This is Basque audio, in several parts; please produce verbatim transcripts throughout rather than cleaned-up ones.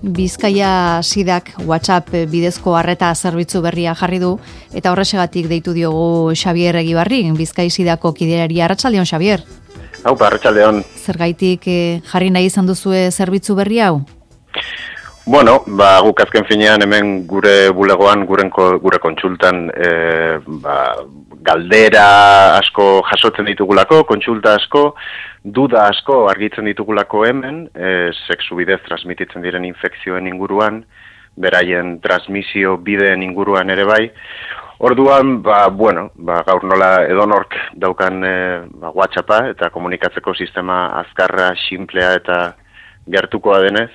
Bizkaia Sidak WhatsApp bidezko arreta zerbitzu berria jarri du, eta horrexegatik deitu diogu Xabier Egibarri, Bizkai Sidako kiderari. Arratsaldeon, Xabier. Hau, arratsaldeon. Zergaitik eh, jarri nahi izan duzue zerbitzu berri hau? Bueno, ba, guk azken finean hemen gure bulegoan, gure, gure kontsultan, e, ba, galdera asko jasotzen ditugulako, kontsulta asko, duda asko argitzen ditugulako hemen, e, sexu bidez transmititzen diren infekzioen inguruan, beraien transmisio bideen inguruan ere bai. Orduan, ba, bueno, ba, gaur nola edonork daukan e, ba, WhatsAppa eta komunikatzeko sistema azkarra, simplea eta gertukoa denez,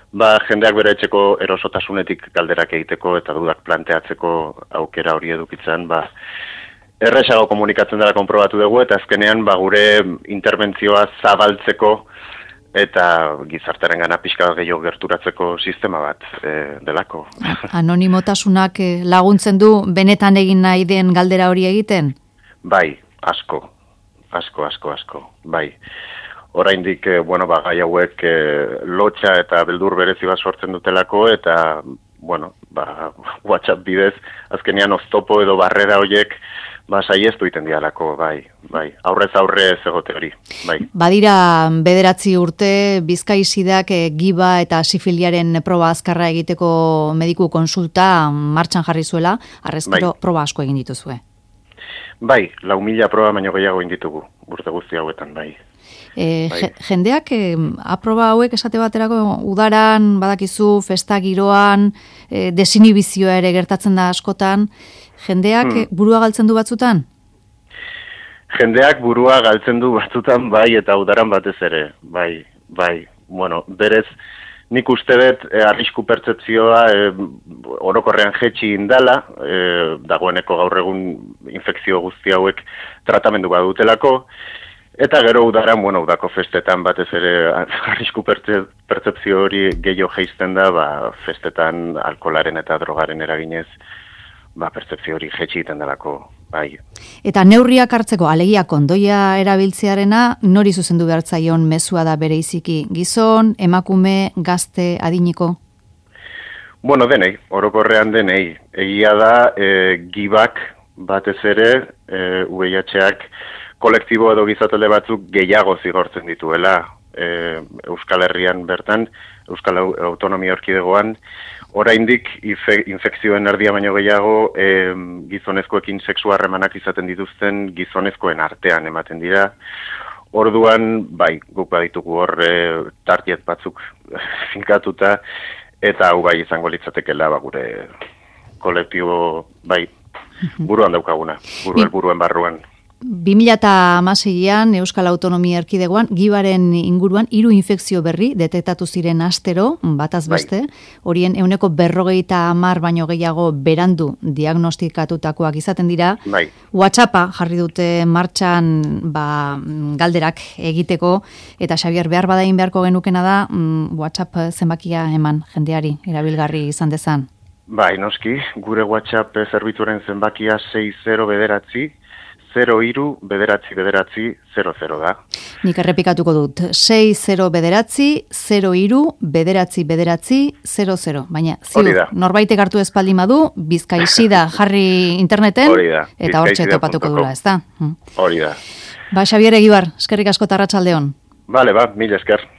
ba, jendeak bere etxeko erosotasunetik galderak egiteko eta dudak planteatzeko aukera hori edukitzen, ba, erresago komunikatzen dela konprobatu dugu, eta azkenean ba, gure interbentzioa zabaltzeko eta gizartaren gana pixka gehiago gerturatzeko sistema bat e, delako. Anonimotasunak laguntzen du benetan egin nahi den galdera hori egiten? Bai, asko, asko, asko, asko, bai. Oraindik, bueno, ba, gai hauek e, lotxa eta beldur berezi bat sortzen dutelako, eta, bueno, ba, WhatsApp bidez, azkenean oztopo edo barrera horiek, ba, saiestu iten dialako, bai, bai, aurrez aurre egote hori, bai. Badira bederatzi urte, Bizkai Sidak e, giba eta sifiliaren proba azkarra egiteko mediku konsulta martxan jarri zuela, arrezkero bai. Proba asko egin dituzue. Bai, lau mila proba baino gehiago egin ditugu, urte guzti hauetan, bai. E, bai. Jendeak e, aproba hauek esate baterako udaran, badakizu, festa giroan, e, desinibizioa ere gertatzen da askotan, jendeak hmm. burua galtzen du batzutan? Jendeak burua galtzen du batzutan, bai, eta udaran batez ere, bai, bai, bueno, berez, nik uste dut e, arrisku pertzepzioa e, orokorrean jetxi indala, e, dagoeneko gaur egun infekzio guzti hauek tratamendu badutelako, eta gero udaran, bueno, udako festetan batez ere arrisku pertzepzio hori gehiago jeizten da, ba, festetan alkoholaren eta drogaren eraginez, ba, pertzepzio hori jetxi egiten delako, bai. Eta neurriak hartzeko, alegia kondoia erabiltzearena, nori zuzendu behartzaion mezua da bereiziki? Gizon, emakume, gazte, adiniko? Bueno, denei, orokorrean denei. Egia da, e, gibak batez ere, e, U V I H-ak, kolektibo edo gizatele batzuk gehiago zigortzen dituela e, Euskal Herrian bertan, Euskal Autonomia Erkidegoan, oraindik infekzioen erdia baino gehiago e, gizonezkoekin sexu harremanak izaten dituzten gizonezkoen artean ematen dira. Orduan, bai, guk baditugu hor e, tartiet batzuk finkatuta, eta hau bai izango litzatekela ba, gure kolektibo, bai, buruan daukaguna, buru helburuen barruan. bi mila hamaseian Euskal Autonomia Erkidegoan gibaren inguruan hiru infekzio berri detektatu ziren astero, bataz beste, horien ehuneko berrogeita hamar baino gehiago berandu diagnostikatutakoak izaten dira. Bai. WhatsAppa jarri dute martxan ba, galderak egiteko, eta Xabier, behar badain beharko genukena da WhatsApp zenbakia eman jendeari erabilgarri izan dezan. Bai, noski, gure WhatsApp zerbitzuaren zenbakia sei zero bederatzi, zero hiru bederatzi bederatzi zero zero da. Nik errepikatuko dut, sei zero bederatzi, zero hiru bederatzi bederatzi zero zero. Baina, ziur, norbaitek hartu espaldin badu, Bizkai Sida jarri interneten, eta hortxe topatuko dula, ez da? Hori da. Ba, Xabier Egibar, eskerrik asko eta arratsaldeon. Bale, ba, mila esker.